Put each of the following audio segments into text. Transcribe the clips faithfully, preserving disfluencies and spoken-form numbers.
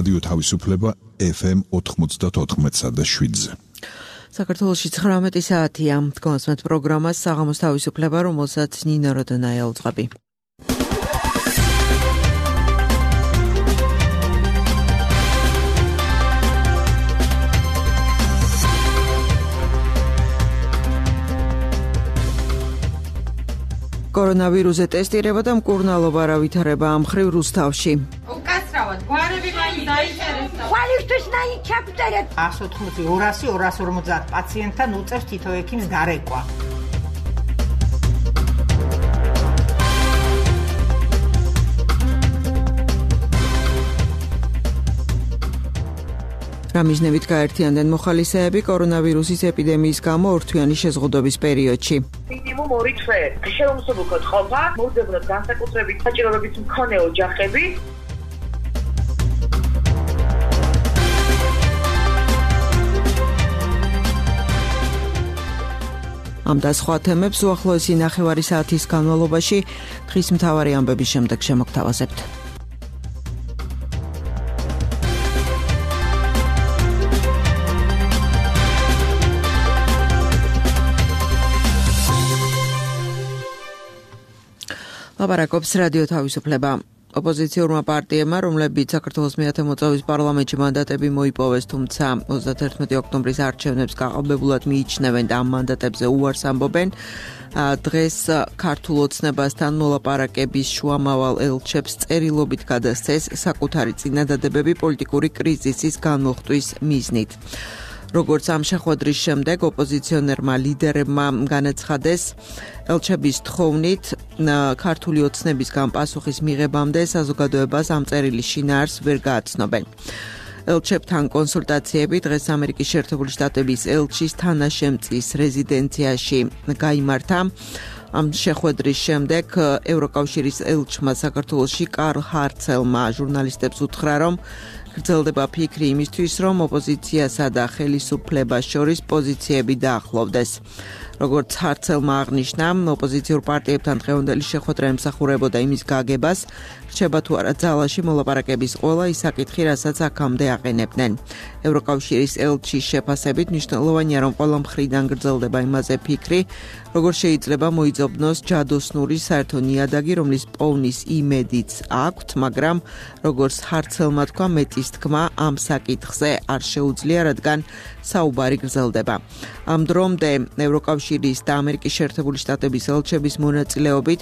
რადიო თავისუფლება ეფ ემ ოთხმოცდაოთხ და შვიდზე. საქართველოში ცხრამეტი საათია. თქვენს პროგრამას საღამოს თავისუფლება, რომელსაც ნინო როდონაია უძღვები. კორონავირუსზე ტესტირება და მკურნალობა რა ვითარება ამ მხრივ რუსთავში. უკაცრავად, გვარები მაინც დაიწერეს. ხვალისთვის ნაიჩაფტერეთ. ას ოთხმოცი, ორასი, ორას ორმოცდაათ პაციენტთან უწევს თითო ექიმს გარეკვა. რამიზნებით გაერთიანდნენ მოხალისეები კორონავირუსის ეპიდემიის გამო ორთვიანი შეზღუდვების პერიოდში. მინიმუმ ორი თვე შეუმსუბუქოდ ყოფა, მოუძებნოთ განსაკუთრებით საჭიროების მქონე ოჯახები. ამ და სხვა თემებს უახლოესი ნახევარი საათის განმავლობაში დღის მთავარი ამბების შემდეგ შემოგთავაზებთ. ლაპარაკობს რადიო თავისუფლება. ოპოზიციურმა პარტიებმა, რომლებიც საქართველოს მეათე მოწვევის პარლამენტში მანდატები მოიპოვეს, თუმცა ოცდათერთმეტი ოქტომბრის არჩევნებს გაყალბებულად მიიჩნევენ და ამ მანდატებზე უარს ამბობენ, დღეს ქართულ ოცნებასთან მოლაპარაკების შუამავალ ელჩებს წერილობით გადასცეს საკუთარი წინადადებები პოლიტიკური კრიზისის განმოხტვის მიზნით. როგორც ამ შეხვედრის შემდეგ ოპოზიციონერმა ლიდერებმა განაცხადეს, ელჩების თხოვნით ქართული ოცნებისგან პასუხის მიღებამდე საზოგადოებას ამ წერილის შინაარს ვერ გააცნობენ. ელჩებთან კონსულტაციები დღეს ამერიკის შეერთებული შტატების ელჩის თანაშემწის რეზიდენციაში გაიმართა. ამ შეხვედრის შემდეგ ევროკავშირის ელჩმა საქართველოში კარლ ჰარცელმა ჟურნალისტებს უთხრა, რომ გრძელდება ფიქრი იმისთვის, რომ ოპოზიციასა და ხელისუფლებას შორის პოზიციები დაახლოვდეს. როგორც ჰარცელმა აღნიშნა, ოპოზიციურ პარტიებთან დღევანდელი შეხვედრა ემსახურებოდა იმის გაგებას, რჩება თუ არა ძალაში მოლაპარაკების ყველა ის საკითხი, რასაც აქამდე აყენებდნენ. ევროკავშირის ელჩის შეფასებით მნიშვნელოვანია, რომ ყველა მხრიდან გრძელდება იმაზე ფიქრი, როგორ შეიძლება მოიძებნოს ჯადოსნური საერთო ნიადაგი, რომლის პოვნის იმედიც აქვთ, მაგრამ როგორც ჰარცელმა თქვა, მეტის თქმა ამ საკითხზე არ შეუძლია, რადგან საუბარი გრძელდება. ამ დრომდე ევროკავშირის და ამერიკის შეერთებული შტატების ელჩების მონაწილეობით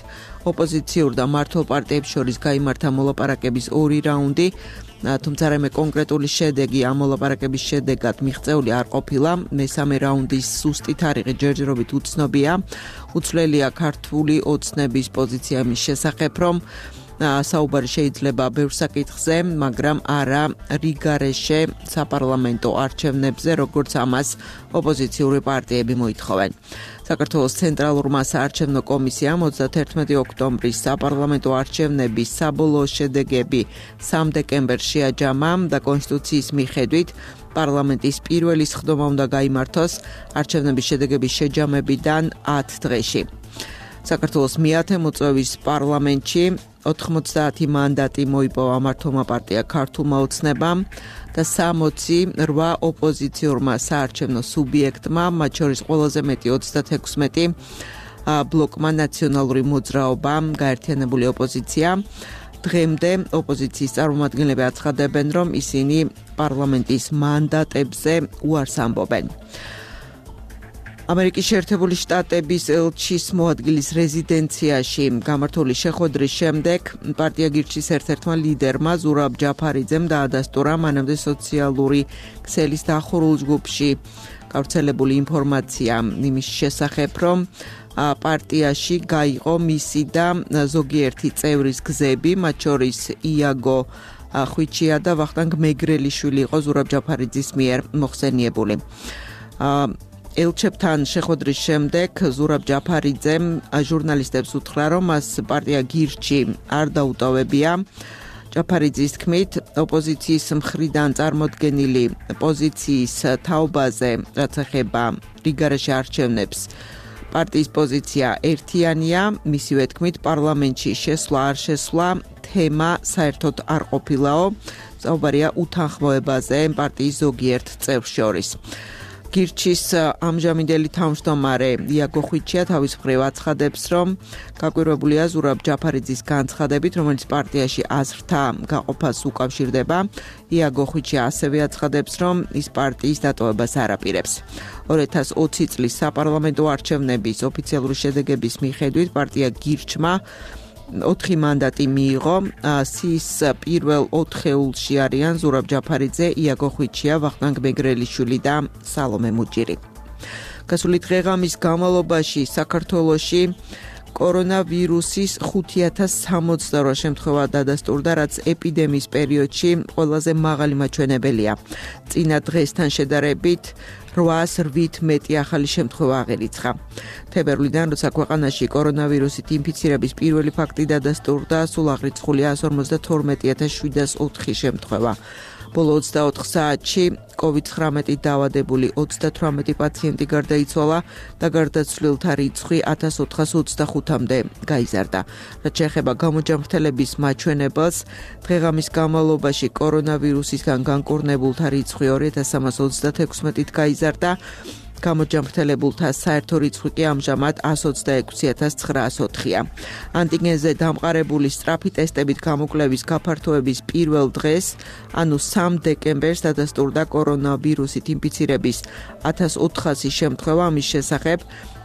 ოპოზიციურ და მმართველ პარტიებს შორის გაიმართა მოლაპარაკების ორი რაუნდი, თუმცა რამე კონკრეტული შედეგი ამ მოლაპარაკების შედეგად მიღწეული არ ყოფილა. მესამე რაუნდის ზუსტი თარიღი ჯერჯერობით უცნობია. უცვლელია ქართული ოცნების პოზიცია მის შესახებ, რომ საუბარი შეიძლება ბევრ საკითხზე, მაგრამ არა რიგარეშე საპარლამენტო არჩევნებზე, როგორც ამას ოპოზიციური პარტიები მოითხოვენ. საქართველოს ცენტრალურმა საარჩევნო კომისიამ ოცდათერთმეტი ოქტომბრის საპარლამენტო არჩევნების საბოლოო შედეგები სამ დეკემბერს შეაჯამა და კონსტიტუციის მიხედვით პარლამენტის პირველი სხდომა უნდა გაიმართოს არჩევნების შედეგების შეჯამებიდან ათ დღეში. საქართველოს მეათე მოწვევის პარლამენტში ოთხმოცდაათი მანდატი მოიპოვა მართლმა პარტია ქართულმა ოცნებამ და სამოცი რვა ოპოზიციურმა საარჩევნო სუბიექტმა, მათ შორის ყველაზე მეტი ოცდათექვსმეტი ბლოკმა ნაციონალური მოძრაობა, გაერთიანებული ოპოზიცია. დღემდე ოპოზიციის წარმომადგენლები აცხადებენ, რომ ისინი პარლამენტის მანდატებზე უარს ამბობენ. ამერიკის შეერთებული შტატების ელჩის მოადგილის რეზიდენციაში გამართული შეხვედრის შემდეგ პარტია გირჩის ერთ-ერთმა ლიდერმა ზურაბ ჯაფარიძემ დაადასტურა მანამდე სოციალური ქსელის დახურულ ჯგუფში გავრცელებული ინფორმაცია იმის შესახებ, რომ პარტიაში გაიყო მისი და ზოგიერთი წევრის გზები, მათ შორის იაგო ხვიჩია და ვახტანგ მეგრელიშვილი იყო ზურაბ ჯაფარიძის მიერ მოხსენიებული. ელჩებთან შეხვედრის შემდეგ ზურაბ ჯაფარიძემ ჟურნალისტებს უთხრა, რომ მას პარტია გირჩი არ დაუტოვებია. ჯაფარიძის თქმით, ოპოზიციის მხრიდან წარმოდგენილი პოზიციის თაობაზე, რაც ეხება რიგარეშე არჩევნებს, პარტიის პოზიცია ერთიანია, მისივე თქმით, პარლამენტში შესვლა არ შესვლა თემა საერთოდ არ ყოფილაო. საუბარია უთანხმოებაზე პარტიის ზოგიერთ წევრს შორის. გირჩის ამჟამინდელი თავმჯდომარე იაგო ხვიჩია თავის მხრივ აცხადებს, რომ გაკვირვებულია ზურაბ ჯაფარიძის განცხადებით, რომელიც პარტიაში აზრთა გაყოფას უკავშირდება. იაგო ხვიჩია ასევე აცხადებს, რომ ის პარტიის დატოვებას არ აპირებს. ორი ათას ოცი წლის საპარლამენტო არჩევნების ოფიციალური შედეგების მიხედვით პარტია გირჩმა ოთხი მანდატი მიიღო. სის პირველ ოთხეულში არიან ზურაბ ჯაფარიძე, იაგო ხვიჩია, ვახტანგ მეგრელიშვილი და სალომე მუჭირი. გასული დღეღამის განმავლობაში საქართველოში კორონავირუსის ხუთი ათას სამოცდაორი შემთხვევა დადასტურდა, რაც ეპიდემიის პერიოდში ყველაზე მაღალი მაჩვენებელია. წინა დღესთან შედარებით რვაას რვით მეტი ახალი შემთხვევა აღერიცხა. თებერვლიდან, როცა ქვეყანაში კორონავირუსით ინფიცირების პირველი ფაქტი დადასტურდა, სულ აღრიცხულია εκατს ორმოცდათორმეტი ათას შვიდას ოთხი შემთხვევა. ბოლო ოცდაოთხ საათში კოვიდ ცხრამეტით დაავადებული ოცდათვრამეტი პაციენტი გარდაიცვალა და გარდაცვლილთა რიცხვი ათას ოთხას ოცდახუთამდე გაიზარდა. რაც შეეხება გამოჯანმრთელების მაჩვენებელს, დღეღამის განმავლობაში კორონავირუსისგან განკურნებულთა რიცხვი ორი ათას სამას ოცდათექვსმეტით გაიზარდა. გამოჯანმრთელებულთა საერთო რიცხვი კი ამჟამად εκατს ოცდაექვსი ათას ცხრაას ოთხია. ანტიგენზე დამყარებული სწრაფი ტესტებით გამოკვლევის გაფართოების პირველ დღეს, ანუ სამ დეკემბერს დადასტურდა კორონავირუსით ინფიცირების ათას ოთხასი შემთხვევა. ამის შესახებ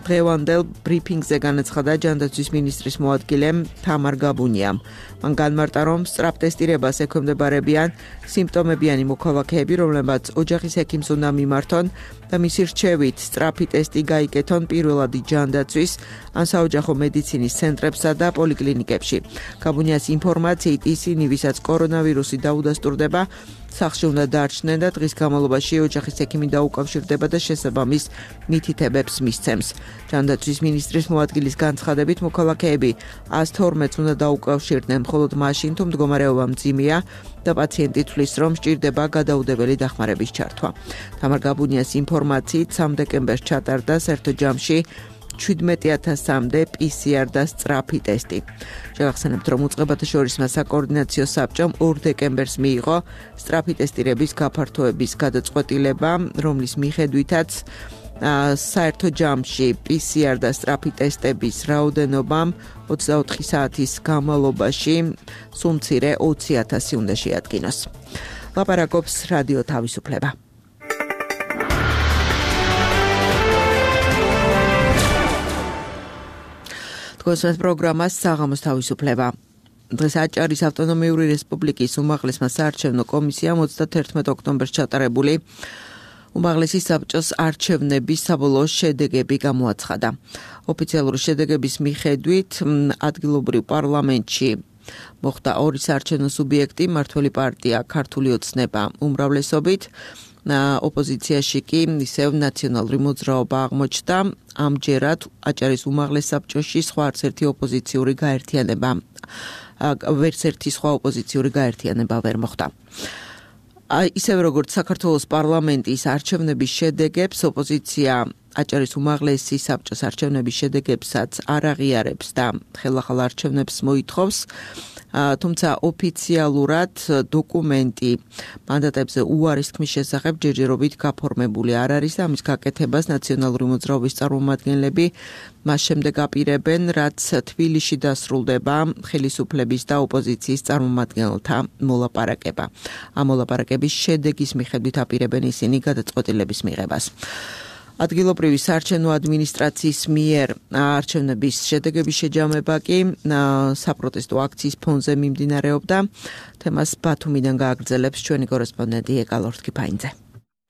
დღევანდელ ბრიფინგზე განაცხადა ჯანდაცვის მინისტრის მოადგილე თამარ გაბუნიამ. მან განმარტა, რომ სწრაფ ტესტირებას ექვემდებარებიან სიმპტომებიანი მოქალაქეები, რომლებმაც ოჯახის ექიმს უნდა მიმართონ და მისი რჩევით სწრაფი ტესტი გაიკეთონ პირველადი ჯანდაცვის ან საოჯახო მედიცინის ცენტრებსა და პოლიკლინიკებში. გაბუნიას ინფორმაციით, ისინი, ვისაც კორონავირუსი დაუდასტურდება, სახლში უნდა დარჩნენ და დღის განმავლობაში ოჯახის ექიმი დაუკავშირდება და შესაბამის მითითებებს მისცემს. ჯანდაცვის მინისტრის მოადგილის განცხადებით, მოქალაქეები εκατს თორმეტს უნდა დაუკავშირდნენ მხოლოდ მაშინ, თუ მდგომარეობა მძიმეა და პაციენტი თვლის, რომ სჭირდება გადაუდებელი დახმარების ჩართვა. თამარ გაბუნიას ინფორმაციით, სამ დეკემბერს ჩატარდა საერთო ჯამში შვიდმეტი ათასამდე პი სი არ და სწრაფი ტესტი. შევახსენებთ, რომ უწყებათა შორისმა საკოორდინაციო საბჭომ ორ დეკემბერს მიიღო სწრაფი ტესტირების გაფართოების გადაწყვეტილება, რომლის მიხედვითაც საერთო ჯამში პი სი არ და სწრაფი ტესტების რაოდენობამ ოცდაოთხი საათის განმავლობაში სულ მცირე ოცი ათასი უნდა შეადგინოს. ლაპარაკობს რადიო თავისუფლება. გოსმენთ პროგრამას საღამოს თავისუფლება. დღეს აჭარის ავტონომიური რესპუბლიკის უმაღლესმა საარჩევნო კომისიამ ოცდათერთმეტ ოქტომბერს ჩატარებული უმაღლესი საბჭოს არჩევნების საბოლოო შედეგები გამოაცხადა. ოფიციალური შედეგების მიხედვით ადგილობრივ პარლამენტში მოხდა ორი საარჩევნო სუბიექტი, მმართველი პარტია ქართული ოცნება უმრავლესობით, ოპოზიციაში კი ისევ ნაციონალური მოძრაობა აღმოჩნდა. ამჯერად აჭარის უმაღლეს საბჭოში სხვა არც ერთი ოპოზიციური გაერთიანება ვერც ერთი სხვა ოპოზიციური გაერთიანება ვერ მოხდა. ისევ როგორც საქართველოს პარლამენტის არჩევნების შედეგებს, ოპოზიცია აჭარის უმაღლესი საბჭოს არჩევნების შედეგებსაც არ აღიარებს და ხელახალ არჩევნებს მოითხოვს. თუმცა ოფიციალურად დოკუმენტი მანდატებზე უარის თქმის შესახებ ჯერჯერობით გაფორმებული არ არის და ამის გაკეთებას ნაციონალური მოძრაობის წარმომადგენლები მას შემდეგ აპირებენ, რაც თბილისში დასრულდება ხელისუფლების და ოპოზიციის წარმომადგენელთა მოლაპარაკება. ამ მოლაპარაკების შედეგის მიხედვით აპირებენ ისინი გადაწყვეტილების მიღებას. ადგილობრივი საარჩევნო ადმინისტრაციის მიერ არჩევნების შედეგების შეჯამება კი საპროტესტო აქციის ფონზე მიმდინარეობდა. თემას ბათუმიდან გააგრძელებს ჩვენი კორესპონდენტი ეკალორთ კიფაინძე.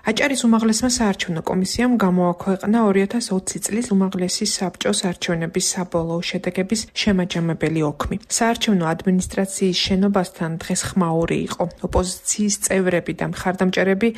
აჭარის უმაღლესმა საარჩევნო კომისიამ გამოაქვეყნა ორი ათას ოცი წლის უმაღლესი საბჭოს არჩევნების საბოლოო შედეგების შემაჯამებელი ოქმი. საარჩევნო ადმინისტრაციის შენობასთან დღეს ხმაური იყო. ოპოზიციის წევრები და მხარდამჭერები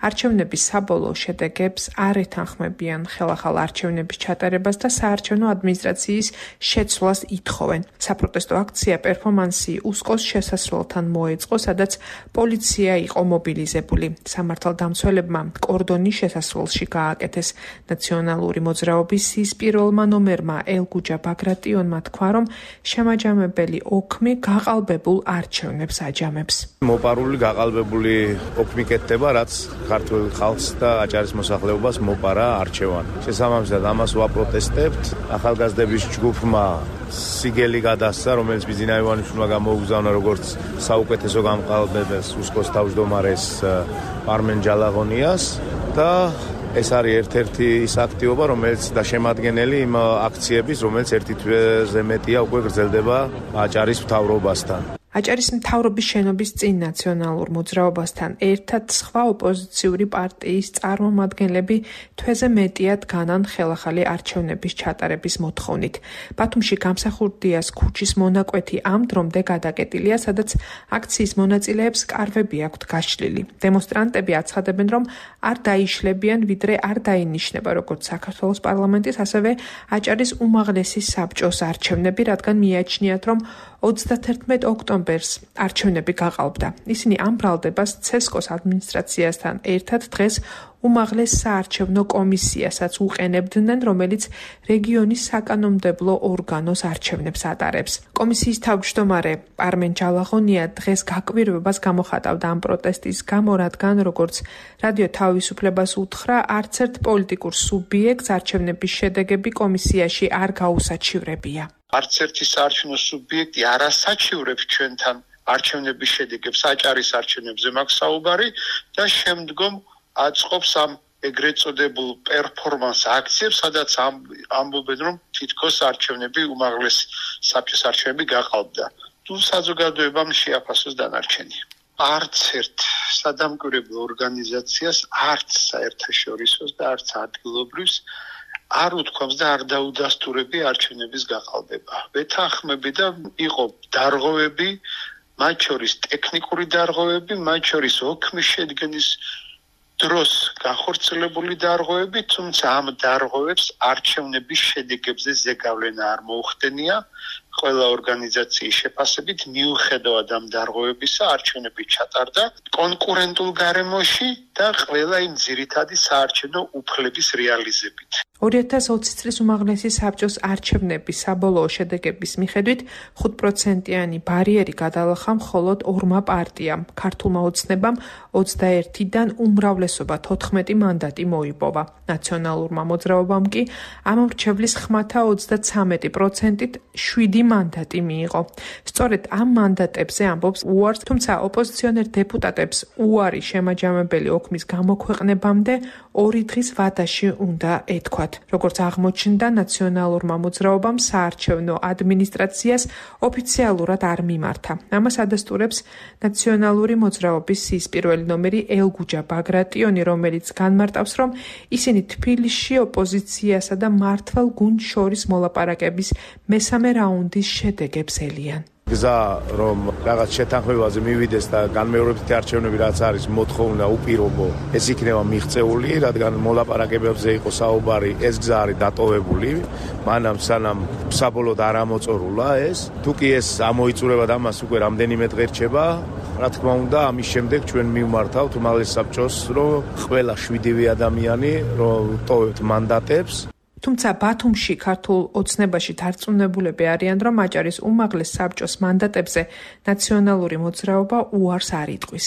არჩევნების საბოლოო შედეგებს არ ეთანხმებიან ხელახალ არჩევნების ჩატარებას და საარჩევნო ადმინისტრაციის შეცვლას ითხოვენ. საპროტესტო აქცია პერფორმანსი უსკოს შესასვლელთან მოეწყო, სადაც პოლიცია იყო მობილიზებული. სამართალდამცველებმა კორდონი შესასვლელში გააკეთეს. ნაციონალური მოძრაობის ის პირველმა ნომერმა ელგუჯა ბაგრატიონმა თქვა, რომ შემაჯამებელი ოქმი გაყალბებულ არჩევნებს აჯამებს. მოპარული გაყალბებული ოქმი კეთდება, რაც ქართულ ხალხს და აჭარის მოსახლეობას მოპარა არჩევანი. შესაბამისად ამას ვაპროტესტებთ. ახალგაზრდების ჯგუფმა სიგელი გადასცა, რომელიც ბიძინა ივანიშვილმა გამოუგზავნა როგორც საუკეთესო გამყალბებელს უსკოს თავმჯდომარეს პარმენ ჯალაღონიას და ეს არის ერთ-ერთი ის აქტივობა, რომელიც და შემადგენელი იმ აქციების, რომელიც ერთი თვეზე მეტია უკვე გრძელდება აჭარის მთავრობასთან. აჭარის მთავრობის შენობის წინ ნაციონალურ მოძრაობასთან ერთად სხვა ოპოზიციური პარტიის წარმომადგენლები თვეზე მეტიად განან ხელახალი არჩევნების ჩატარების მოთხოვნით. ბათუმში გამსახურდიას ქუჩის მონაკვეთი ამ დრომდე გადაკეტილია, სადაც აქციის მონაწილეებს კარვები აქვთ გაშლილი. დემონსტრანტები აცხადებენ, რომ არ დაიშლებიან, ვიდრე არ დაინიშნება როგორც საქართველოს პარლამენტის, ასევე აჭარის უმაღლესი საბჭოს არჩევნები, რადგან მიაჩნიათ, რომ ოცდათერთმეტ ოქტომბერს არჩევნები გაყალბდა. ისინი ამ ბრალდებას ცესკოს ადმინისტრაციასთან ერთად დღეს უმაღლეს საარჩევნო კომისიასაც უყენებდნენ, რომელიც რეგიონის საკანონმდებლო ორგანოს არჩევნებს ატარებს. კომისიის თავმჯდომარე პარმენ ჯალაღონია დღეს გაკვირვებას გამოხატავდა ამ პროტესტის გამო, რადგან როგორც რადიო თავისუფლებას უთხრა, არც ერთ პოლიტიკურ სუბიექტს არჩევნების შედეგები კომისიაში არ გაუსაჩივრებია. არც ერთი საარჩევნო სუბიექტი არ ასაჩივრებს ჩვენთან არჩევნების შედეგებს, აჭარის არჩევნებზე მაქვს საუბარი და შემდგომ აწყობს ამ ეგრეთ წოდებულ პერფორმანს აქციებს, სადაც ამბობენ, რომ თითქოს არჩევნები უმაღლეს საბჭოს არჩევნები გაყალბდა. თუ საზოგადოებამ შეაფასოს დანარჩენი. არც ერთ სადამკვირვებლო ორგანიზაციას, არც საერთაშორისოს და არც ადგილობრივს არ უთქვამს და არ დაუდასტურები არჩევნების გაყალბება. ვეთანხმები და იყო დარღვევები, მათ შორის ტექნიკური დარღვევები, მათ შორის ოქმის შედგენის დროს განხორციელებული დარღვევები, თუმცა ამ დარღვევებს არჩევნების შედეგებზე ზეგავლენა არ მოუხდენია. ყველა ორგანიზაციის შეფასებით მიუხედავად ამ დარღვევებისა არჩევნები ჩატარდა კონკურენტულ გარემოში და ყველა იმ ძირითადი საარჩევნო უფლების რეალიზებით. ორი ათას ოცი წლის უმაღლესი საბჭოს არჩევნების საბოლოო შედეგების მიხედვით ხუთ პროცენტიანი ბარიერი გადალახა მხოლოდ ორმა პარტიამ. ქართულმა ოცნებამ ოცდაერთიდან უმრავლესობა თოთხმეტი მანდატი მოიპოვა. ნაციონალურმა მოძრაობამ კი ამ მრჩევლის ხმათა ოცდაცამეტი პროცენტით შვიდი მანდატი მიიღო. სწორედ ამ მანდატებზე ამბობს უარს, თუმცა ოპოზიციონერ დეპუტატებს უარი შემაჯამებელი ოქმის გამოქვეყნებამდე ორი დღის ვადაში უნდა ეთქვათ. როგორც აღმოჩნდა, ნაციონალურმა მოძრაობამ საარჩევნო ადმინისტრაციას ოფიციალურად არ მიმართა. ამას ადასტურებს ნაციონალური მოძრაობის ის პირველი ნომერი ელგუჯა ბაგრატიონი, რომელიც განმარტავს, რომ ისინი თბილისში ოპოზიციასა და მართლ გუნდს შორის მოლაპარაკების მესამე რაუნდის შედეგებს ელიან. გზა რომ რაღაც შეთანხმებაზე მივიდეს და განმეორებითი არჩევნები რაც არის მოთხოვნა უპირობო, ეს იქნება მიღწეული, რადგან მოლაპარაკებებზე იყო საუბარი, ეს გზა არის დატოვებული, მანამ სანამ საბოლოოდ არ ამოწორულა ეს. თუ კი ეს ამოიწურება და ამას უკვე რამდენიმე დღე რჩება, რა თქმა უნდა, ამის შემდეგ ჩვენ მივმართავთ უმაღლეს საბჭოს, რომ ყველა შვიდივე ადამიანი რომ ტოვებთ მანდატებს. თუმცა ბათუმში ქართულ ოცნებაში დარწმუნებულები არიან, რომ აჭარის უმაღლეს საბჭოს მანდატებზე ნაციონალური მოძრაობა უარს არ იტყვის.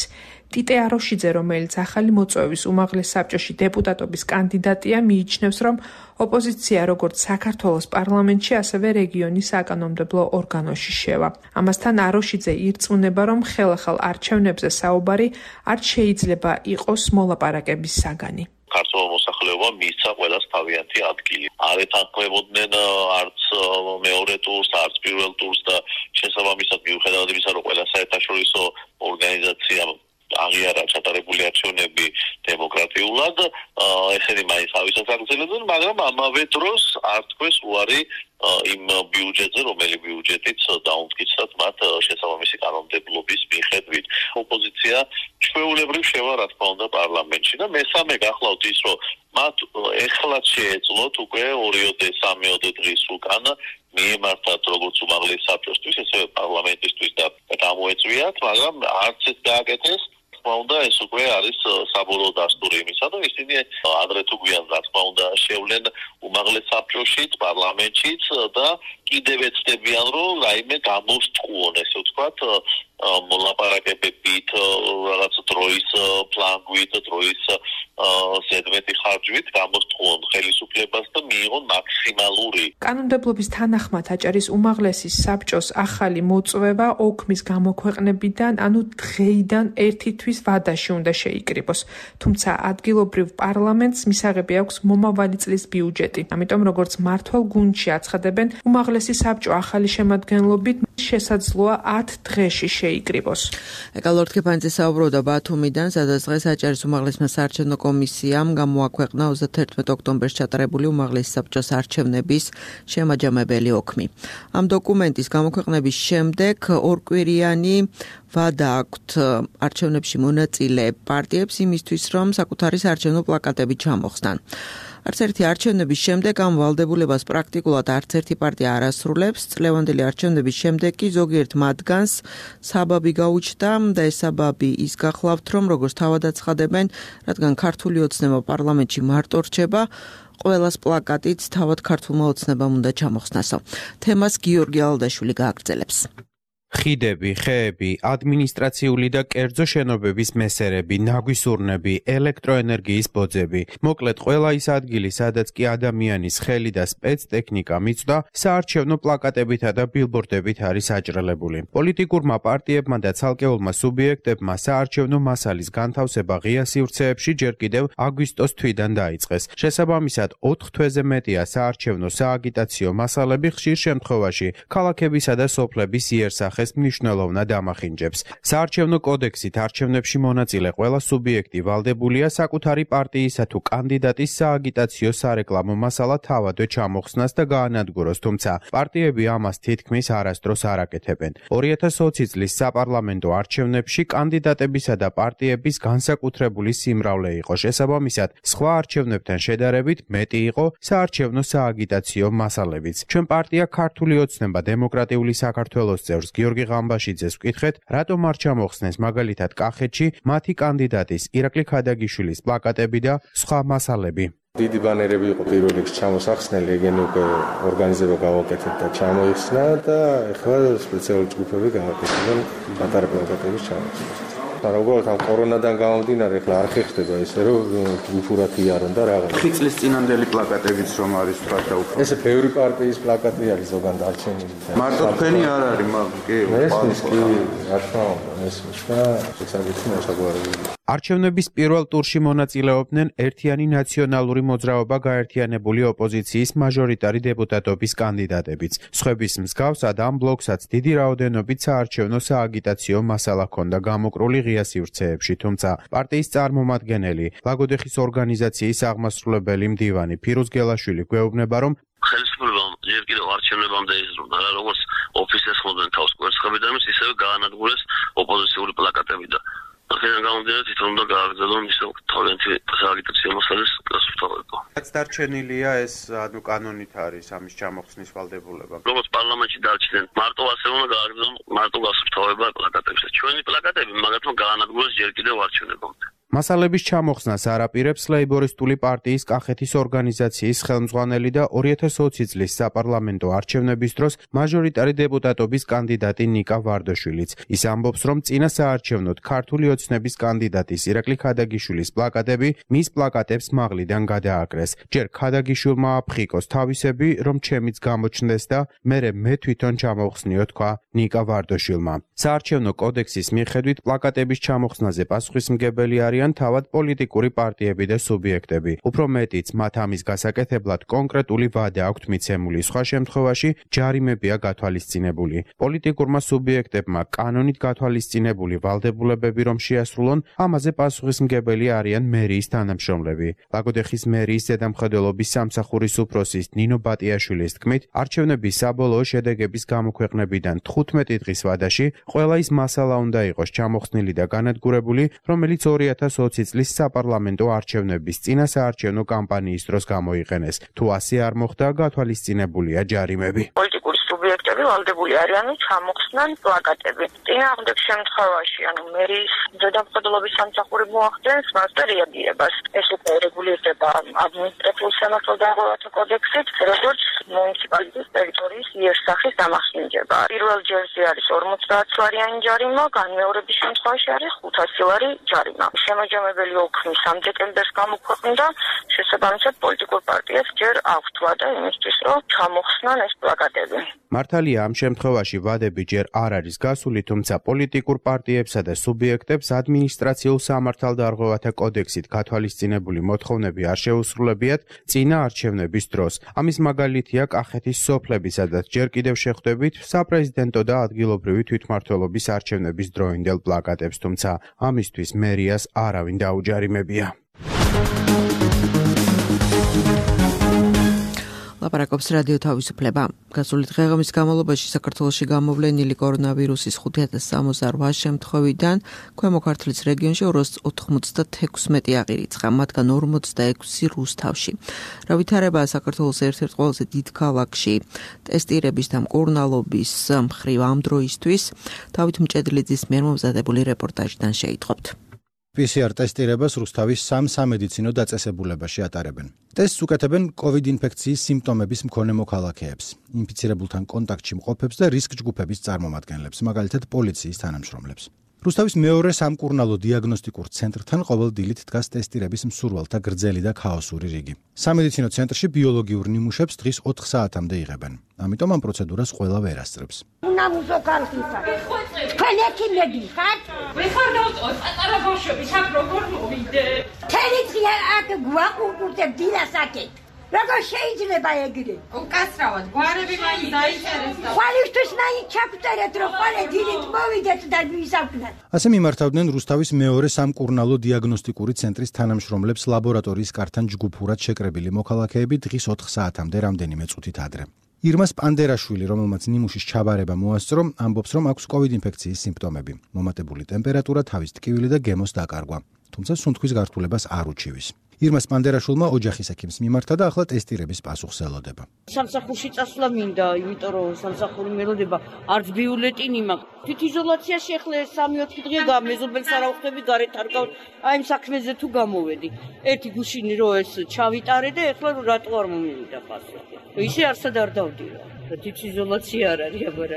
ტიტე აროშიძე, რომელიც ახალი მოწვევის უმაღლეს საბჭოში დეპუტატობის კანდიდატია, მიიჩნევს, რომ ოპოზიცია როგორც საქართველოს პარლამენტში, ასევე რეგიონის საკანონმდებლო ორგანოში შევა. ამასთან აროშიძე ირწმუნება, რომ ხელახალ არჩევნებზე საუბარი არ შეიძლება იყოს მოლაპარაკების საგანი. ქართულ მოსახლეობამ მისცა ყველას თავიანთი ადგილი. არ ეთანხმებოდნენ არც მეორე ტურს, არც პირველ ტურს და შესაბამისად მიუხედავად იმისა, რომ ყველა საერთაშორისო ორგანიზაციამ აღიარა ჩატარებული არჩევნები დემოკრატიულად, ესენი მაინც თავისას აგრძელებდნენ, მაგრამ ამავე დროს არ თქვეს უარი იმ ბიუჯეტზე, რომელი ბიუჯეტიც დაუმტკიცრად მათ შესაბამისი კანონმდებლობის მიხედვით. ოპოზიცია ჩვეულებრივ შევა, რა თქმა უნდა, პარლამენტში და მესამე გახლავთ ის, რომ მათ ეხლაც შეეძლოთ უკვე ორიოდე სამიოდე დღის უკან მიემართათ როგორც უმაღლეს საბჭოსთვის, ასევე პარლამენტისთვის და გამოეწვიათ, მაგრამ არც ეს გააკეთეს. თქმა უნდა, ეს უკვე არის საბოლოო დასტური იმისა, რომ ისინი ადრე თუ გვიან, რა თქმა უნდა, შევლენ უმაღლეს საბჭოშიც, პარლამენტშიც და კიდევ ეცდებიან, რომ რაიმე გამოსწყვონ, ესე ვთქვათ, მოლაპარაკებებით, რაღაც დროის ფლანგვით, დროის ზედმეტი ხარჯვით გამოსწყვონ ხელისუფლებას და მიიღონ მაქსიმალური. კანონმდებლობის თანახმად აჭარის უმაღლესი საბჭოს ახალი მოწვევა ოქმის გამოქვეყნებიდან, ანუ დღეიდან ერთი თვის ვადაში უნდა შეიკრიბოს. თუმცა ადგილობრივ პარლამენტს მისაღები აქვს მომავალი წლის ბიუჯეტი. ამიტომ როგორც მართვალ გუნდში აცხადებენ, უმაღლესი საბჭო ახალი შემადგენლობით შესაძლოა ათ დღეში შეიკრიბოს. ეკალორდ კეფანიძე საუბრობდა ბათუმიდან, სადაც დღეს აჭარის უმაღლესმა საარჩევნო კომისიამ გამოაქვეყნა ოცდათერთმეტ ოქტომბერს ჩატარებული უმაღლესი საბჭოს არჩევნების შემაჯამებელი ოქმი. ამ დოკუმენტის გამოქვეყნების შემდეგ ორკვირიანი ვადა აქვთ არჩევნებში მონაწილე პარტიებს იმისთვის, რომ საკუთარი საარჩევნო პლაკატები ჩამოხსნან. არც ერთი არჩევნების შემდეგ ამ ვალდებულებას პრაქტიკულად არც ერთი პარტია არ ასრულებს. წლევანდელი არჩევნების შემდეგ კი ზოგიერთ მათგანს საბაბი გაუჩნდა და ეს საბაბი ის გახლავთ, რომ როგორც თავად აცხადებენ, რადგან ქართული ოცნება პარლამენტში მარტო რჩება, ყველას პლაკატით თავად ქართულმა ოცნებამ უნდა ჩამოხსნასო. თემას გიორგი ალდაშვილი გააგრძელებს. ხიდები, ხეები, ადმინისტრაციული და კერძო შენობების მესერები, ნაგვისურნები, ელექტროენერგიის ბოძები. მოკლედ, ყველა ის ადგილი, სადაც კი ადამიანის ხელი და სპეცტექნიკა მიწვდა, საარჩევნო პლაკატებითა და ბილბორდებით არის აჭრელებული. პოლიტიკურმა პარტიებმა და ცალკეულმა სუბიექტებმა საარჩევნო მასალის განთავსება ღია სივრცეებში ჯერ კიდევ აგვისტოს თვიდან დაიწყეს. შესაბამისად, ოთხ თვეზე მეტია საარჩევნო სააგიტაციო მასალები ხშირ შემთხვევაში ქალაქებისა და სოფლების იერსახეს მნიშვნელოვნად ამახინჯებს. საარჩევნო კოდექსით არჩევნებში მონაწილე ყველა სუბიექტი ვალდებულია საკუთარი პარტიისა თუ კანდიდატის სააგიტაციო სარეკლამო მასალა თავადვე ჩამოხსნას და გაანადგუროს, თუმცა პარტიები ამას თითქმის არასდროს არ აკეთებენ. ორი ათას ოცი წლის საპარლამენტო არჩევნებში კანდიდატებისა და პარტიების განსაკუთრებული სიმრავლე იყო. შესაბამისად, სხვა არჩევნებთან შედარებით მეტი იყო საარჩევნო სააგიტაციო მასალებიც. ჩვენ პარტია ქართული ოცნება დემოკრატიული საქართველოს წევრს გიორგი ღამბაშიძეს ვკითხეთ, რატომ არ ჩამოხსნეს მაგალითად კახეთში მათი კანდიდატის ირაკლი ქადაგიშვილის პლაკატები და სხვა მასალები. დიდი ბანერები იყო პირველ რიგში ჩამოსახსნელი, ეგენი უკვე ორგანიზება გავაკეთეთ და ჩამოიხსნა და ეხლა სპეციალური ჯგუფები გააკეთებენ პატარა პლაკატების ჩამოხსნას. მაგრამ უბრალოდ ამ კორონადან გამომდინარე ეხლა არ ხერხდება ესე რომ უფურად იარონ და რაღაც. ხი წლის წინანდელი პლაკატებიც რომ არის თქვა და უფრო. ესე ბევრი პარტიის პლაკატი არის ზოგან დარჩენილი. მარტო თქვენი არ არის, მაგრამ კი ესმის კი რა თქმა უნდა ესმის და შესაძლოა მოსაგვარებელი. არჩევნების პირველ ტურში მონაწილეობდნენ ერთიანი ნაციონალური მოძრაობა გაერთიანებული ოპოზიციის მაჟორიტარი დეპუტატობის კანდიდატებიც. სხვების მსგავსად ამ ბლოკსაც დიდი რაოდენობით საარჩევნო სააგიტაციო მასალა ჰქონდა გამოკრული ღია სივრცეებში, თუმცა პარტიის წარმომადგენელი, ლაგოდეხის ორგანიზაციის აღმასრულებელი მდივანი ფირუზ გელაშვილი გვეუბნება, რომ ხელისუფლებამ ჯერ კიდევ არჩევნებამდე იზრუნდა, როგორც ოფისებს ხმობდნენ თავს კვერცხებიდან, ისევე გაანადგურეს ოპოზიციური პლაკატები და აქედან გამომდინარე თვითონ უნდა გააგრძელონ ისე თავიანთი სააგიტაციო მასალის გასუფთავება. რაც დარჩენილია ეს ანუ კანონით არის ამის ჩამოხსნის ვალდებულება. როგორც პარლამენტში დარჩნენ, მარტო ასე უნდა გააგრძელონ მარტო გასუფთავება პლაკატებზე. ჩვენი პლაკატები მაგათმა გაანადგურეს ჯერ კიდევ არჩევნებამდე. მასალების ჩამოხსნას არაპირებს ლეიბორისტული პარტიის კახეთის ორგანიზაციის ხელმძღვანელი და ორი ათას ოცი წლის საპარლამენტო არჩევნების დროს მაჟორიტარი დეპუტატობის კანდიდატი ნიკა ვარდაშვილიც. ის ამბობს, რომ წინა საარჩევნოდ ქართული ოცნების კანდიდატის ირაკლი ქადაგიშვილის პლაკატები მის პლაკატებს მაღლიდან გადააკრეს. ჯერ ქადაგიშვილმა აფხიკოს თავისები, რომ ჩემიც გამოჩნდეს და მერე მე თვითონ ჩამოვხსნიო, თქვა ნიკა ვარდაშვილმა. საარჩევნო კოდექსის მიხედვით პლაკატების ჩამოხსნაზე პასუხისმგებელი არიან თავად პოლიტიკური პარტიები და სუბიექტები. უფრო მეტიც, მათ ამის გასაკეთებლად კონკრეტული ვადა აქვთ მიცემული, სხვა შემთხვევაში ჯარიმებია გათვალისწინებული. პოლიტიკურმა სუბიექტებმა კანონით გათვალისწინებული ვალდებულებები რომ შეასრულონ, ამაზე პასუხისმგებელი არიან მერიის თანამშრომლები. ლაგოდეხის მერიის ზედამხედველობის სამსახურის უფროსის ნინო ბატიაშვილის თქმით, არჩევნების საბოლოო შედეგების გამოქვეყნებიდან თხუთმეტი დღის ვადაში ყველა ის მასალა უნდა იყოს ჩამოხსნილი და განადგურებული, რომელიც ორი ათას ოცი წლის საპარლამენტო არჩევნების წინა საარჩევნო კამპანიის დროს გამოიყენეს. თუ ასე არ მოხდა, გათვალისწინებულია ჯარიმები. პოლიტიკური სუბიექტები მენეჯერები ვალდებული არიან ჩამოხსნან პლაკატები. წინააღმდეგ შემთხვევაში, ანუ მერის ზედამხედველობის სამსახური მოახდენს მასზე რეაგირებას. ეს უკვე რეგულირდება ადმინისტრაციულ სამართალდამცავთა კოდექსით, როგორც მუნიციპალიტეტის ტერიტორიის იერსახის დამახინჯება. პირველ ჯერზე არის ორმოცდაათლარიანი ჯარიმა, განმეორების შემთხვევაში არის ხუთასი ლარი ჯარიმა. შემაჯამებელი ოქმი სამ დეკემბერს გამოქვეყნდა, შესაბამისად პოლიტიკურ პარტიას ჯერ აქვთ ვადა იმისთვის, რომ ჩამოხსნან ეს პლაკატები. მართალია, ამ შემთხვევაში ვადები ჯერ არ არის გასული, თუმცა პოლიტიკურ პარტიებსა და სუბიექტებს ადმინისტრაციულ სამართალდარღვევათა კოდექსით გათვალისწინებული მოთხოვნები არ შეუსრულებიათ წინა არჩევნების დროს. ამის მაგალითია კახეთის სოფლები, სადაც ჯერ კიდევ შეხვდებით საპრეზიდენტო და ადგილობრივი თვითმმართველობის არჩევნების დროინდელ პლაკატებს, თუმცა ამისთვის მერიას არავინ დაუჯარიმებია. ლაპარაკობს რადიო თავისუფლება. გასული დღეღამის განმავლობაში საქართველოში გამოვლენილი კორონავირუსის ხუთი ათას სამოცდაოთხ შემთხვევიდან ქვემო ქართლის რეგიონში ორას ოცდაექვსი აღირიცხა, მათგან ორმოცდაექვსი რუსთავში. რა ვითარებაა საქართველოს ერთ-ერთ ყველაზე დიდ ქალაქში ტესტირების და მკურნალობის მხრივ ამ დროისთვის, დავით მჭედლიძის მიერ მომზადებული რეპორტაჟიდან შეიტყობთ. პი სი არ ტესტირებას რუსთავის სამ სამედიცინო დაწესებულებაში ატარებენ. ტესტს უკეთებენ კოვიდ ინფექციის სიმპტომების მქონე მოქალაქეებს, ინფიცირებულთან კონტაქტში მყოფებს და რისკ ჯგუფების წარმომადგენლებს, მაგალითად პოლიციის თანამშრომლებს. რუსთავის მეორე სამკურნალო დიაგნოსტიკურ ცენტრთან ყოველ დილით დგას ტესტირების მსურველთა გრძელი და ქაოსური რიგი. სამედიცინო ცენტრში ბიოლოგიურ ნიმუშებს დღის ოთხ საათამდე იღებენ. ამიტომ ამ პროცედურას ყველა ვერ ასწრებს. უნამუზო კარხისა. თქვენ ექიმები ხართ? მე ხარ დავწოვე პატარა ბავშვები, აქ როგორ მოვიდე? თელი დღე აქ გვაყურებთ დილას აქეთ. როგორ შეიძლება ეგრე? უკასრავად, გვარები მაინც დაიწერეს და ხვალისთვის მაინც ჩაგწერეთ, რომ ხვალე დილით მოვიდეთ და ვისაუბროთ. ასე მიმართავდნენ რუსთავის მეორე სამკურნალო დიაგნოსტიკური ცენტრის თანამშრომლებს ლაბორატორიის კართან ჯგუფურად შეკრებილი მოქალაქეები დღის ოთხ საათამდე რამდენიმე წუთით ადრე. ირმა სპანდერაშვილი, რომელმაც ნიმუშის ჩაბარება მოასწრო, ამბობს, რომ აქვს კოვიდ ინფექციის სიმპტომები, მომატებული ტემპერატურა, თავის ტკივილი და გემოს დაკარგვა, თუმცა სუნთქვის გართულებას არ უჩივის. ირმა სპანდერაშვილმა ოჯახის ექიმს მიმართა და ახლა ტესტირების პასუხს ელოდება. სამსახურში წასვლა მინდა, იმიტომ რომ სამსახური მელოდება არც ბიულეტინი მაქვს. თვითიზოლაციაში ახლა სამი ოთხი დღე გამეზობელს არ ავხდები, გარეთ არ გავ აი ამ საქმეზე თუ გამოვედი. ერთი გუშინი რო ეს ჩავიტარე და ახლა რატო არ მომივიდა პასუხი. ისე არსად არ დავდიო. თვითიზოლაცია არ არის აბარა.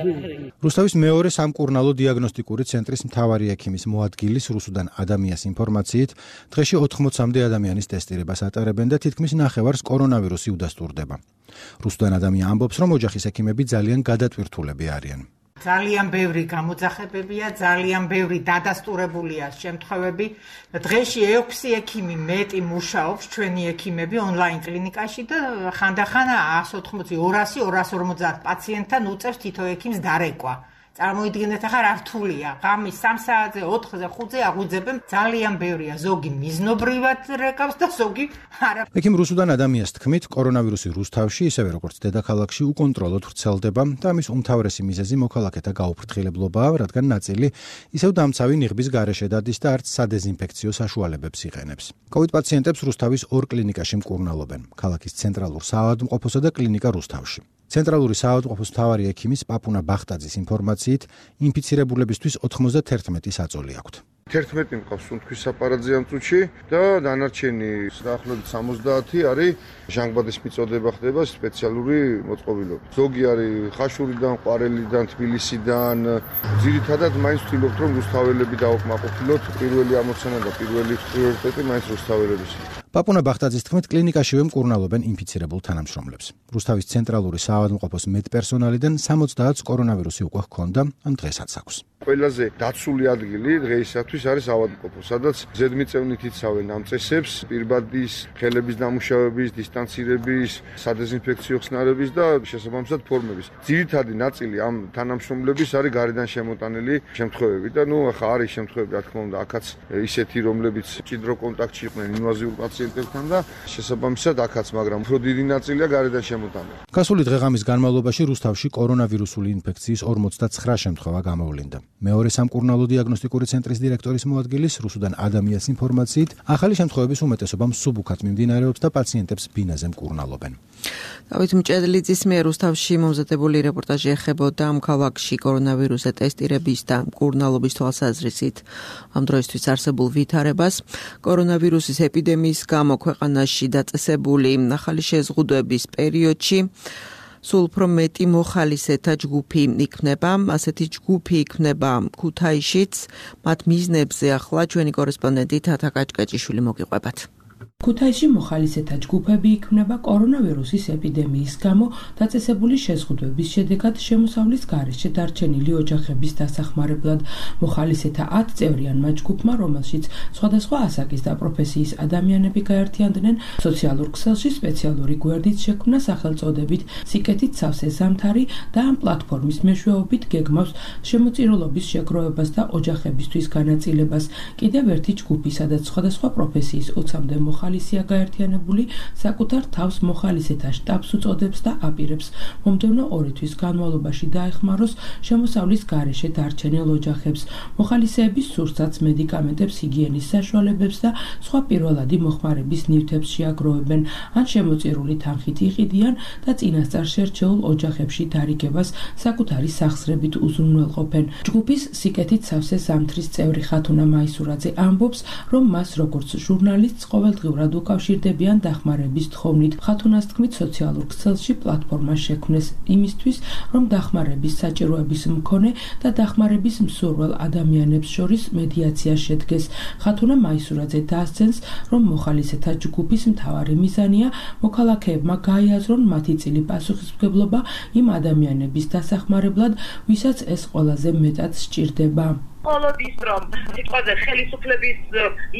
რუსთავის მეორე სამკურნალო დიაგნოსტიკური ცენტრის მთავარი ექიმის მოადგილის რუსუდან ადამიანის ინფორმაციით, დღეში ოთხმოცამდე ადამიანის ტესტირებას ატარებენ და თითქმის ნახევარს კორონავირუსი udasturდება. რუსუდან ადამიანია ამბობს, რომ ოჯახის ექიმები ძალიან გადატვირთულები არიან. ძალიან ბევრი გამოძახებებია, ძალიან ბევრი დადასტურებულია შემთხვევები. დღეში ექვსი ექიმი მეტი მუშაობს, ჩვენი ექიმები ონლაინ კლინიკაში და ხანდახან εκατს ოთხმოცი, ორასი, ორას ორმოცდაათ პაციენტთან უწევს თითო ექიმს დარეკვა. წარმოიდგინეთ, ახლა რა რთულია. ღამის სამ საათზე, ოთხზე, ხუთზე აღვიძებენ, ძალიან ბევრია. ზოგი მიზნობრივად რეკავს და ზოგი არა. ექიმ რუსუდან ადამიანის თქმით, კორონავირუსი რუსთავში, ისევე როგორც დედაქალაქში, უკონტროლოდ ვრცელდება და ამის უმთავრესი მიზეზი მოქალაქეთა გაუფრთხილებლობაა, რადგან ნაწილი ისევ დამცავი ნიღბის გარეშე დადის და არც სადეზინფექციო საშუალებებს იყენებს. კოვიდ პაციენტებს რუსთავის ორ კლინიკაში მკურნალობენ, ქალაქის ცენტრალურ საავადმყოფოსა და კლინიკა რუსთავში. ცენტრალური საავადმყოფოს მთავარი ექიმის პაპუნა ბახტაძის ინფორმაციით, ინფიცირებულებისთვის ოთხმოცდაერთმეტი საწოლი აქვთ. თერთმეტი მყავს სუნთქვის აპარატზე ამ წუთში და დანარჩენი დაახლოებით სამოცდაათი არის ჟანგბადის მიწოდება ხდება სპეციალური მოწყობილობით. ზოგი არის ხაშურიდან, ყვარელიდან, თბილისიდან. ძირითადად მაინც ვთქვით, რომ რუსთაველები დავაკმაყოფილოთ, პირველი ამოცანა და პირველი პრიორიტეტი მაინც რუსთაველების. პაპუნა ბახტაძის თქმით, კლინიკაშივე მკურნალობენ ინფიცირებულ თანამშრომლებს. რუსთავის ცენტრალური საავადმყოფოს მეტპერსონალიდან სამოცდაათს კორონავირუსი უკვე ჰქონდა, ამ დღესაც აქვს. ყველაზე დაცული ადგილი დღეისათვის არის ავადმყოფო, სადაც ზედმიწევნით იცავენ ამ წესებს, პირბადის, ხელების დამუშავების, დისტანცირების, სადეზინფექციო ხსნარების და შესაბამისად ფორმების. ძირითადი ნაწილი ამ თანამშრომლების არის გარედან შემოტანილი შემთხვევები და ნუ ახლა არის შემთხვევები, რა თქმა უნდა, აქაც ისეთი, რომლებიც ჭიდრო კონტაქტში იყვნენ ინვაზიურ პაციენტებთან და შესაბამისად აქაც, მაგრამ უფრო დიდი ნაწილია გარედან შემოტანილი. გასული დღეღამის განმავლობაში რუსთავში კორონავირუსული ინფექციის ორმოცდაცხრა შემთხვევა გამოვლინდა. მეორე სამკურნალო დიაგნოსტიკური ცენტრის დირექტორი დირექტორის მოადგილის რუსუდან ადამიანის ინფორმაციით, ახალი შემთხვევების უმეტესობამ სუბუქად მიმდინარეობს და პაციენტებს ბინაზე მკურნალობენ. დავით მჭედლიძის მიერ რუსთავში მომზადებული რეპორტაჟი ეხებოდა ამ ქალაქში კორონავირუსზე ტესტირების და მკურნალობის თვალსაზრისით ამ დროისთვის არსებულ ვითარებას. კორონავირუსის ეპიდემიის გამო ქვეყანაში დაწესებული ახალი შეზღუდვების პერიოდში სულ უფრო მეტი მოხალისეთა ჯგუფი იქნება, ასეთი ჯგუფი იქნება ქუთაისშიც. მათ მიზნებზე ახლა ჩვენი კორესპონდენტი თათა კაჭკაჭიშვილი მოგიყვებათ. ქუთაისში მოხალისეთა ჯგუფები იქმნება კორონავირუსის ეპიდემიის გამო დაწესებული შეზღუდვების შედეგად შემოსავლის გარეშე დარჩენილი ოჯახების დასახმარებლად. მოხალისეთა ათ წევრიანმა ჯგუფმა, რომელშიც სხვადასხვა ასაკის და პროფესიის ადამიანები გაერთიანდნენ, სოციალურ ქსელში სპეციალური გვერდით შექმნა სახელწოდებით სიკეთით სავსე ზამთარი და ამ პლატფორმის მეშვეობით გეგმავს შემოწირულობის შეგროვებას და ოჯახებისთვის განაწილებას. კიდევ ერთი ჯგუფი, სადაც სხვადასხვა პროფესიის ოცამდე მოხალისეა გაერთიანებული, საკუთარ თავს მოხალისეთა შტაბს უწოდებს და აპირებს მომდევნო ორი თვის განმავლობაში დაეხმაროს შემოსავლის გარეშე დარჩენილ ოჯახებს. მოხალისეების სურსათს, მედიკამენტებს, ჰიგიენის საშუალებებს და სხვა პირველადი მოხმარების ნივთებს შეაგროვებენ, ან შემოწირული თანხით იყიდიან და წინასწარ შერჩეულ ოჯახებში დარიგებას საკუთარი სახსრებით უზრუნველყოფენ. ჯგუფის სიკეთით სავსე ზამთრის წევრი ხათუნა მაისურაძე ამბობს, რომ მას როგორც ჟურნალისტს ყოველდღიურად უკავშირდებიან დახმარების თხოვნით. ხათუნას თქმით, სოციალურ ქსელში პლატფორმა შექმნეს იმისთვის, რომ დახმარების საჭიროების მქონე და დახმარების მსურველ ადამიანებს შორის მედიაცია შედგეს. ხათუნა მაისურაძე დაასცენს, რომ მოხალისეთა ჯგუფის მთავარი მიზანია მოქალაქეებმა გაიაზრონ მათი წილი პასუხისმგებლობა იმ ადამიანების დასახმარებლად, ვისაც ეს ყველაზე მეტად სჭირდება. მხოლოდ ის, რომ სიტყვაზე ხელისუფლების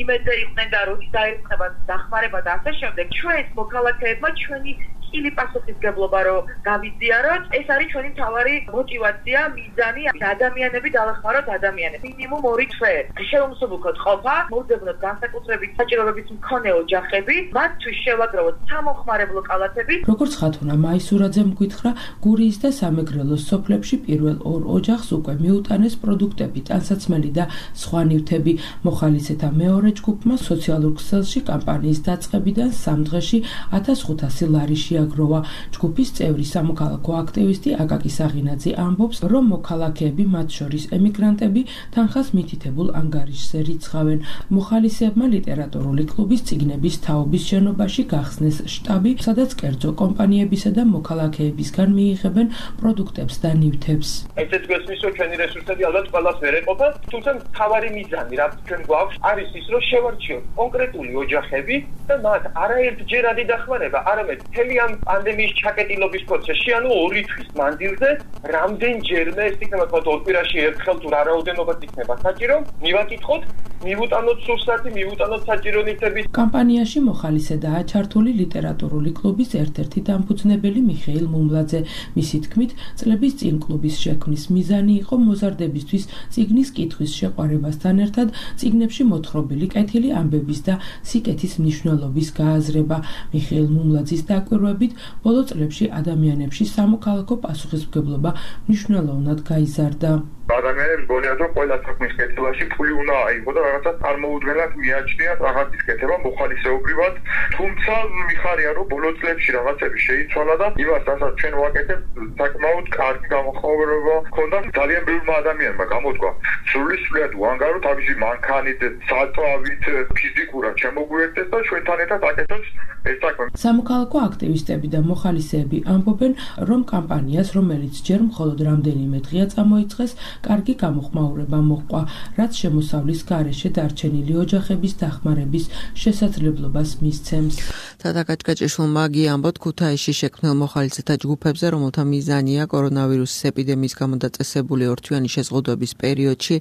იმედზე იყვნენ და როდის დაერწყება დახმარება და ასე შემდეგ, ჩვენს მოქალაქეებმა ჩვენი წილი პასუხისმგებლობა რომ გავიზიაროთ, ეს არის ჩვენი მთავარი მოტივაცია, მიზანი, ადამიანები დავეხმაროთ ადამიანებს. მინიმუმ ორი თვე შეუმსუბუქოთ ყოფა, მოვძებნოთ განსაკუთრებით საჭიროების მქონე ოჯახები, მათთვის შევაგროვოთ სამომხმარებლო კალათები. როგორც ხათუნა მაისურაძემ გითხრა, გურიის და სამეგრელოს სოფლებში პირველ ორ ოჯახს უკვე მიუტანეს პროდუქტები, ტანსაცმელი და სხვა ნივთები. მოხალისეთა მეორე ჯგუფმა სოციალურ ქსელში კამპანიის დაწყებიდან სამ დღეში ათას ხუთასი ლარი შეაგროვა. ჯგუფის წევრი სამოქალაქო აქტივისტი აკაკი საღინაძე ამბობს, რომ მოქალაქეები, მათ შორის ემიგრანტები, თანხას მითითებულ ანგარიშზე რიცხავენ. მოხალისეებმა ლიტერატურული კლუბის წიგნების თაობის შენობაში გახსნეს შტაბი, სადაც კერძო კომპანიებისა და მოქალაქეებისგან მიიღებენ პროდუქტებს და ნივთებს. ესეც გვესმის, რომ ჩვენი რესურსები ალბათ ყველას ვერ ეყოფა, თუმცა მთავარი მიზანი, რაც ჩვენ გვაქვს, არის ის, რომ შევარჩიოთ კონკრეტული ოჯახები და მათ არაერთჯერადი დახმარება, არამედ მთელი ამ პანდემიის ჩაკეტილობის პროცესში, ანუ ორი თვის მანძილზე, რამდენჯერმე ეს იქნება თქვა ორ კვირაში ერთხელ თუ რა რაოდენობაც იქნება საჭირო, მივაკითხოთ, მივუტანოთ სურსათი, მივუტანოთ საჭირო ნივთები. კამპანიაში მოხალისედაა ჩართული ლიტერატურული კლუბის ერთ-ერთი დამფუძნებელი მიხეილ მუმლაძე. მისი თქმით, წლების წინ კლუბის შექმნის მიზანი იყო მოზარდებისთვის წიგნის კითხვის შეყვარებასთან ერთად წიგნებში მოთხრობილი კეთილი ამბების და სიკეთის მნიშვნელობის გააზრება. მიხეილ მუმლაძის დაკვირვებით, ბოლო წლებში ადამიანებში სამოქალაქო პასუხისმგებლობა მნიშვნელოვნად გაიზარდა. ადამიანებს გონიათ, რომ ყველა საქმის კეთებაში ფული უნდა აიღო და რაღაცა წარმოუდგენლად მიაჩნიათ რაღაცის კეთება მოხალისეობრივად, თუმცა მიხარია, რომ ბოლო წლებში რაღაცები შეიცვალა და იმას, რასაც ჩვენ ვაკეთებთ, საკმაოდ კარგი გამოხმაურება ჰქონდა ძალიან ბევრმა ადამიანმა გამოდგა. სრულიად უანგარო თავისი მანქანით, საწვავით, ფიზიკურად შემოგვიერთდეს და ჩვენთან ერთად აკეთებს ეს საქმე. სამოქალაქო აქტივისტები და მოხალისეები ამბობენ, რომ კამპანიას, რომელიც ჯერ მხოლოდ რამდენიმე დღეა წამოიწყეს, კარგი გამოხმაურება მოჰყვა, რაც შემოსავლის გარეშე დარჩენილი ოჯახების დახმარების შესაძლებლობას მისცემს. თათა კაჭკაჭიშვილმა გიამბოთ ქუთაისში შექმნილ მოხალისეთა ჯგუფებზე, რომელთა მიზანია კორონავირუსის ეპიდემიის გამო დაწესებული ორთვიანი შეზღუდვების პერიოდში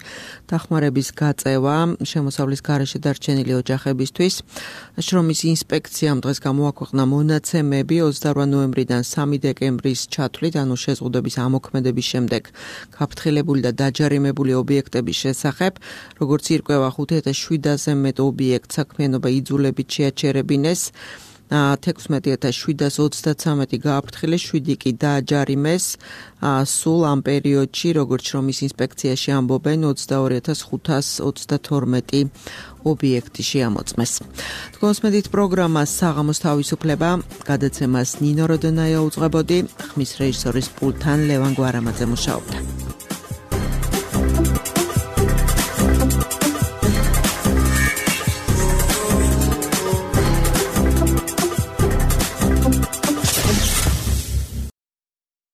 დახმარების გაწევა შემოსავლის გარეშე დარჩენილი ოჯახებისთვის. შრომის ინსპექციამ დღეს გამოაქვეყნა მონაცემები ოცდაორი ნოემბრიდან სამი დეკემბრის ჩათვლით, ანუ შეზღუდვების ამოქმედების შემდეგ გაფრთხილებული და დაჯარიმებული ობიექტების შესახებ, როგორც ირკვევა ხუთი ათას შვიდასზე მეტ ობიექტს საქმიანობა იძულებით შეაჩერებინეს. თექვსმეტი ათას შვიდას ოცდათრამეტი გააფრთხილეს, შვიდი კი დააჯარიმეს. სულ ამ პერიოდში, როგორც რომ ის ინსპექციაში ამბობენ, ოცდაორი ათას ხუთას ოცდათორმეტი ობიექტი შეამოწმეს. თქვენს მედით პროგრამას საღამოს თავისუფლება, გადაცემას ნინო როდონაია უძღვებოდი, ხმის რეჟისორის პულტთან ლევან გვარამაძე მუშაობდა.